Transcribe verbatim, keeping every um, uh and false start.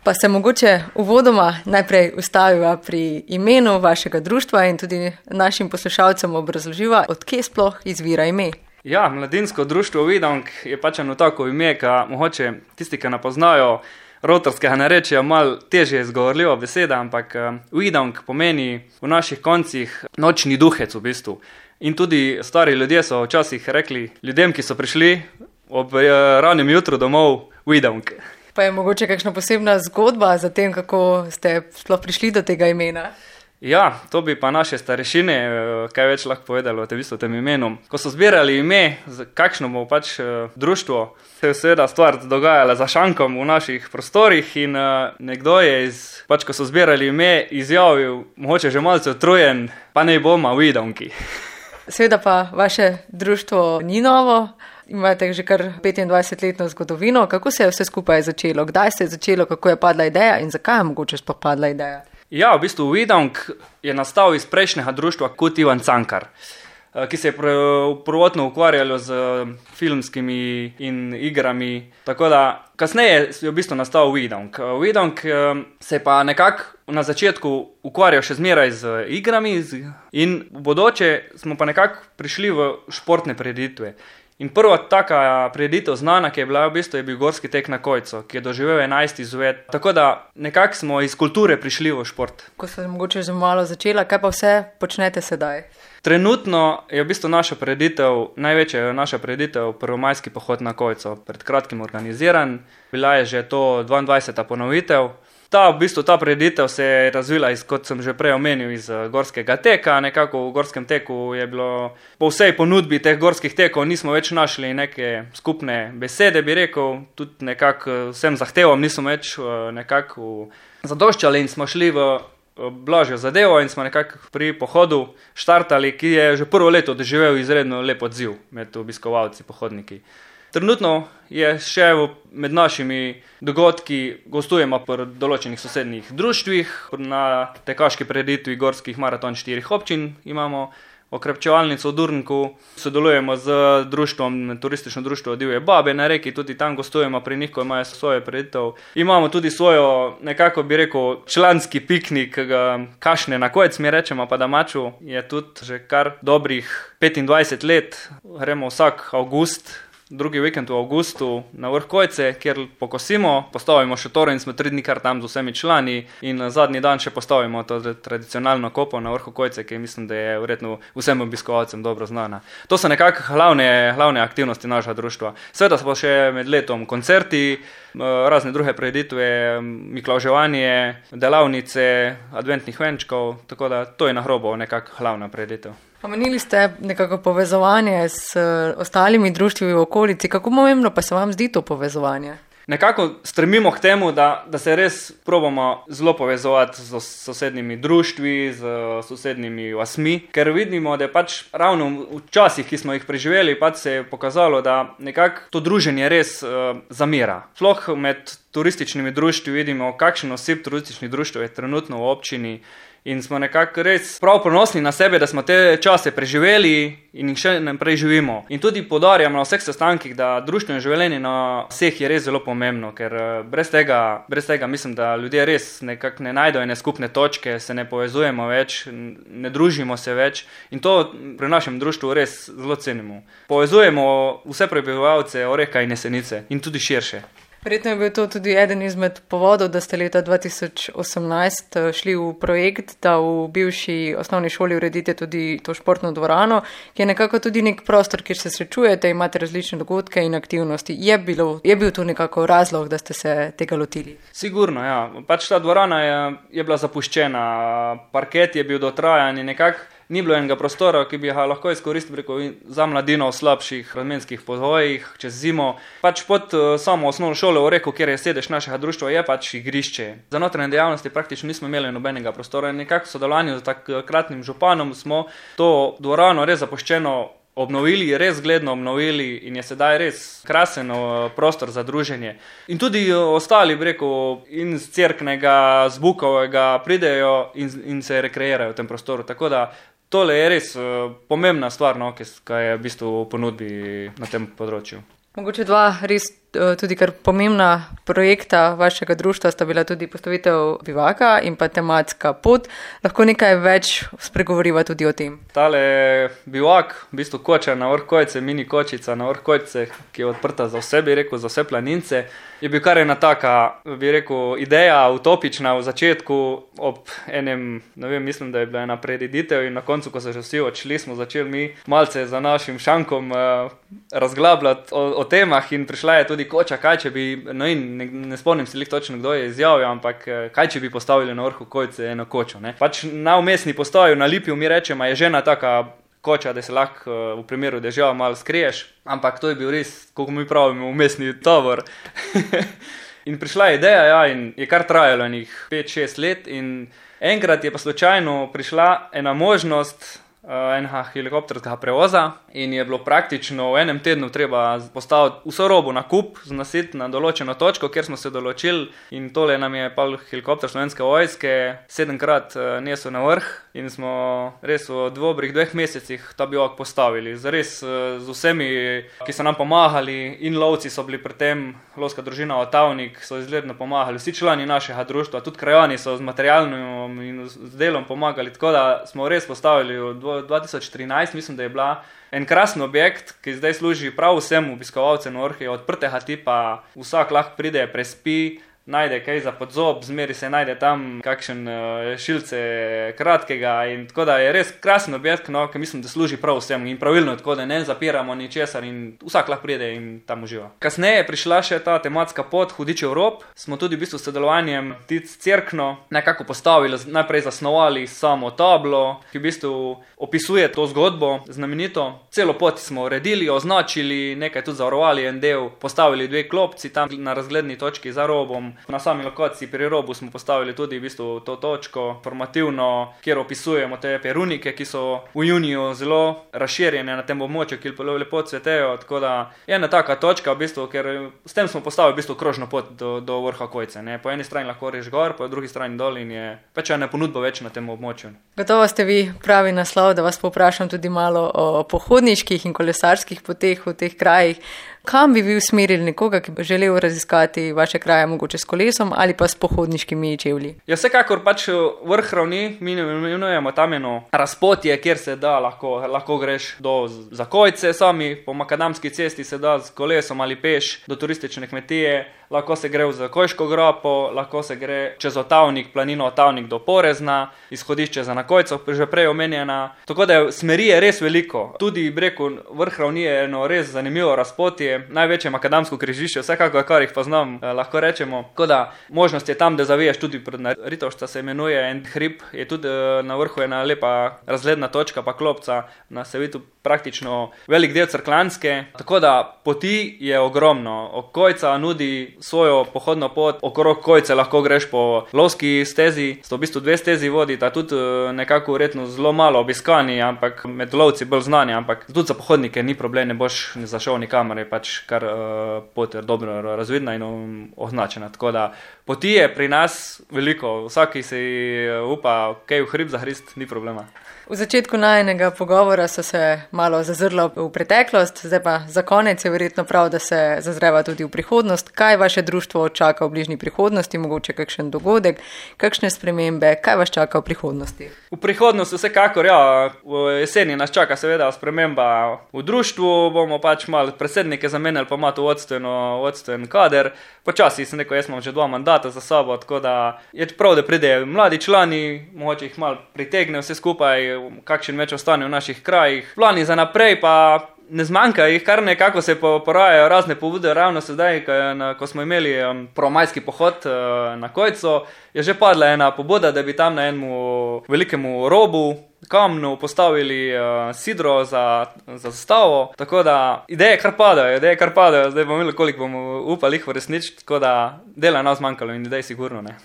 Pa se mogoče uvodoma najprej ustaviva pri imenu vašega društva in tudi našim poslušalcem obrazloživa, odkje sploh izvira ime. Ja, Mladinsko društvo Uidank je pač eno tako ime, ki mogoče tisti, ki ne poznajo rotorskega narečja, malo težje izgovorljiva beseda, ampak Uidank pomeni v naših koncih nočni duhec v bistvu. In tudi stari ljudje so včasih rekli ljudem, ki so prišli ob ranem jutru domov, Uidank. Pa je mogoče kakšna posebna zgodba za tem, kako ste sploh prišli do tega imena? Ja, to bi pa naše starešine kaj več lahko povedali o tem, v tem imenu. Ko so zbirali ime, kakšno bo pač društvo, se je seveda stvar dogajala za šankom v naših prostorih in nekdo je, iz, pač ko so zbirali ime, izjavil, mogoče že malce utrujen, pa ne bomo Uidanki. Seveda pa vaše društvo ni novo, imate že kar petindvajsetletno zgodovino. Kako se je vse skupaj začelo? Kdaj se je začelo, kako je padla ideja in zakaj je mogoče sploh padla ideja? Ja, v bistvu Uidank je nastal iz prejšnjega društva Kut Ivan Cankar, ki se je prvotno ukvarjalo z filmskimi in igrami, tako da kasneje je v bistvu nastal Uidank. Uidank se je pa nekako na začetku ukvarjal še zmeraj z igrami in v bodoče smo pa nekako prišli v športne prireditve. In prva taka prireditev znana, ki je bila v bistvu, je bil gorski tek na Kojco, ki je doživel enajst izved. Tako da nekako smo iz kulture prišli v šport. Ko se mogoče že malo začela, kaj pa vse počnete sedaj? Trenutno je v bistvu naša prireditev, največja je naša prireditev prvomajski pohod na Kojco, pred kratkim organiziran. Bila je že to dvaindvajseta ponovitev. Ta, v bistvu, ta prireditev se je razvila, iz, kot sem že prej omenil, iz gorskega teka. Nekako v gorskem teku je bilo po vsej ponudbi teh gorskih tekov, nismo več našli neke skupne besede, bi rekel. Tudi nekako vsem zahtevom nismo več nekako zadoščali in smo šli v blažjo zadevo in smo nekako pri pohodu štartali, ki je že prvo leto doživel izredno lep odziv med obiskovalci, pohodniki. Trenutno je še med našimi dogodki, gostujemo pri določenih sosednjih društvih, na tekaški prireditvi gorskih maraton štirih občin imamo okrepčevalnico v Durnku, sodelujemo z društvom, turistično društvo Divje babe na Reki, tudi tam gostujemo pri njih, ko imajo svojo prireditev. Imamo tudi svojo, nekako bi rekel, članski piknik, kašne na Kojc, mi rečemo pa domaču, je tudi že kar dobrih petindvajset let, gremo vsak avgust, drugi vikend v avgustu na vrh Kojce, kjer pokosimo, postavimo šotor in smo tri dni kar tam z vsemi člani in zadnji dan še postavimo to tradicionalno kopo na vrhu Kojce, ki mislim, da je verjetno vsem obiskovalcem dobro znana. To so nekako glavne, glavne aktivnosti našega društva. Seveda so pa še med letom koncerti, razne druge prireditve, miklavževanje, delavnice, adventnih venčkov, tako da to je na grobo nekako glavna prireditev. Omenili ste nekako povezovanje s ostalimi društvi v okolici. Kako pomembno pa se vam zdi to povezovanje? Nekako stremimo k temu, da, da se res probamo zelo povezovati z sosednjimi društvi, z sosednjimi vasmi, ker vidimo, da je pač ravno v časih, ki smo jih preživeli, pač se je pokazalo, da nekako to druženje res uh, zamira. Sploh med turističnimi društvi vidimo, kakšen oseb turističnih društv je trenutno v občini. In smo nekako res prav ponosni na sebe, da smo te čase preživeli in jih še naprej živimo. In tudi poudarjamo na vseh sestankih, da društveno življenje na vseh je res zelo pomembno, ker brez tega, brez tega mislim, da ljudje res nekako ne najdejo ene skupne točke, se ne povezujemo več, ne družimo se več in to pri našem društvu res zelo cenimo. Povezujemo vse prebivalce Oreka in Jesenice in tudi širše. Verjetno je bil to tudi eden izmed povodov, da ste leta dva tisoč osemnajst šli v projekt, da v bivši osnovni šoli uredite tudi to športno dvorano, ki je nekako tudi nek prostor, kjer se srečujete, imate različne dogodke in aktivnosti. Je, bilo, je bil to nekako razlog, da ste se tega lotili? Sigurno, ja. Pač ta dvorana je, je bila zapuščena, parket je bil dotrajan in nekako ni bilo enega prostora, ki bi ga lahko izkoristili preko za mladino v slabših razmenskih pogojih čez zimo. Pač pod uh, samo osnovno šolo v Oreku, kjer je sedež našega društva, je pač igrišče. Za notranje dejavnosti praktično nismo imeli nobenega prostora in nekako v sodelovanju z takratnim županom smo to dvorano res zapuščeno obnovili, res zgledno obnovili in je sedaj res krasen prostor za druženje. In tudi ostali, bi rekel, in z Cerknega, z Bukovega pridejo in, in se rekreirajo v tem prostoru. Tako da tole je res uh, pomembna stvar, no, ki je v bistvu v ponudbi na tem področju. Mogoče dva res tudi kar pomembna projekta vašega društva sta bila tudi postavitev bivaka in pa tematska pot. Lahko nekaj več spregovoriva tudi o tem. Tale bivak, v bistvu koča na vrh Kojce, mini kočica na vrh Kojce, ki je odprta za vse, bi rekel, za vse planince, je bil kar ena taka, bi rekel, ideja utopična v začetku ob enem, ne vem, mislim, da je bila ena prireditev in na koncu, ko so že vsi odšli, smo začeli mi malce za našim šankom uh, razglabljati o, o temah in prišla je tudi koča, kaj če bi, no in ne, ne spomnim se lih točno, kdo je izjavil, ampak kaj če bi postavili na vrhu Kojce eno kočo, ne. Pač na umestni postoju na Lipju mi rečemo, je žena taka koča, da se lahko uh, v primeru dežja malo skriješ, ampak to je bil res, kako mi pravimo, umestni tovor. In prišla je ideja, ja, in je kar trajalo enih pet šest let in enkrat je pa slučajno prišla ena možnost uh, enega helikopterskega prevoza in je bilo praktično v enem tednu treba postaviti vso robo na kup, znositi na določeno točko, kjer smo se določili in tole nam je pa helikopter Slovenske vojske sedemkrat uh, nesel na vrh in smo res v dobrih dveh mesecih ta bivak postavili. Zares uh, z vsemi, ki so nam pomagali in lovci so bili pri tem, lovska družina Otavnik so izredno pomagali, vsi člani našega društva, tudi krajani so z materialnim in z delom pomagali, tako da smo res postavili v dva tisoč trinajst, mislim, da je bila en krasen objekt, ki zdaj služi prav vsem obiskovalcem vrha, odprtega tipa, vsak lahko pride, prespi, najde kaj za podzob, zmeri se najde tam kakšen uh, šilce kratkega in tako da je res krasen objekt, no, ki mislim, da služi prav vsem in pravilno, tako da ne zapiramo ničesar in vsak lahko pride in tam uživa. Kasneje je prišla še ta tematska pot Hudičev rob, smo tudi v bistvu s sodelovanjem Tic Cerkno nekako postavili, najprej zasnovali samo tablo, ki v bistvu opisuje to zgodbo znamenito. Celo pot smo uredili, označili, nekaj tudi zavarovali en del, postavili dve klopci tam na razgledni točki za robom. Na sami lokaciji pri robu smo postavili tudi v bistvu to točko formativno, kjer opisujemo te perunike, ki so v juniju zelo razširjene na tem območju, ki lepo cvetejo, tako da je ena taka točka, v bistvu, ker s tem smo postavili v bistvu krožno pot do, do vrha Kojce. Ne. Po eni strani lahko reš gor, po drugi strani dol in je pač ena ponudba več na tem območju. Gotovo ste vi pravi naslov, da vas poprašam tudi malo o pohodniških in kolesarskih poteh v teh krajih. Kam bi vi usmerili nekoga, ki bi želel raziskati vaše kraje, mogoče s kolesom ali pa s pohodniškimi čevlji? Ja, vsekakor pač vrh ravni, mi imenujemo tam eno razpotje, kjer se da, lahko, lahko greš do za Kojce sami, po makadamski cesti se da s kolesom ali peš do turistične kmetije, lahko se gre v Kojško grapo, lahko se gre čez Otavnik, planino Otavnik do Porezna, izhodišče za na Kojco, že prej omenjena. Tako da smeri je res veliko. Tudi breku vrh ravni je eno res zanimivo razpotje, največje makadamsko križišče, vsekakor, kar jih poznam, eh, lahko rečemo. Tako da možnost je tam, da zaviješ tudi pred Ritovšta, se imenuje en hrib, je tudi eh, na vrhu ena lepa razgledna točka, pa klopca, na Sevitu praktično velik del Cerkljanske. Tako da poti je ogromno. Kojca nudi svojo pohodno pot, okrog Kojce lahko greš po lovski stezi, sto v bistvu dve stezi vodita, tudi eh, nekako verjetno zelo malo obiskani, ampak med lovci bolj znani, ampak tudi za pohodnike ni problem, ne boš zašel nikamor, je pač kar uh, pot je dobro razvidna in označena. Tako da poti je pri nas veliko, vsaki se upa kaj v hrib zahrist, ni problema. V začetku najinega pogovora so se malo zazrla v preteklost, zdaj pa za konec je verjetno prav, da se zazreva tudi v prihodnost. Kaj vaše društvo čaka v bližnji prihodnosti, mogoče kakšen dogodek, kakšne spremembe, kaj vas čaka v prihodnosti? V prihodnosti vsekakor, ja, v jeseni nas čaka seveda sprememba v društvu, bomo pač malo predsednike zamenjali, pa ima to vodstveno, vodstven kader. Počasi sem rekel, jaz imam že dva mandata za sabo, tako da je prav, da pridejo mladi člani, mogoče jih malo pritegne vse skupaj, kakšen več ostane v naših krajih. Plani za naprej pa ne zmanjka jih, kar nekako se porajajo razne pobude, ravno sedaj, ko smo imeli prvomajski pohod na Kojco, je že padla ena pobuda, da bi tam na enemu velikemu robu kamnu postavili uh, sidro za, za zastavo, tako da ideje kar padajo, ideje kar padajo, zdaj bomo imeli, koliko bomo upali jih uresničiti, tako da dela nas manjkalo in idej sigurno ne.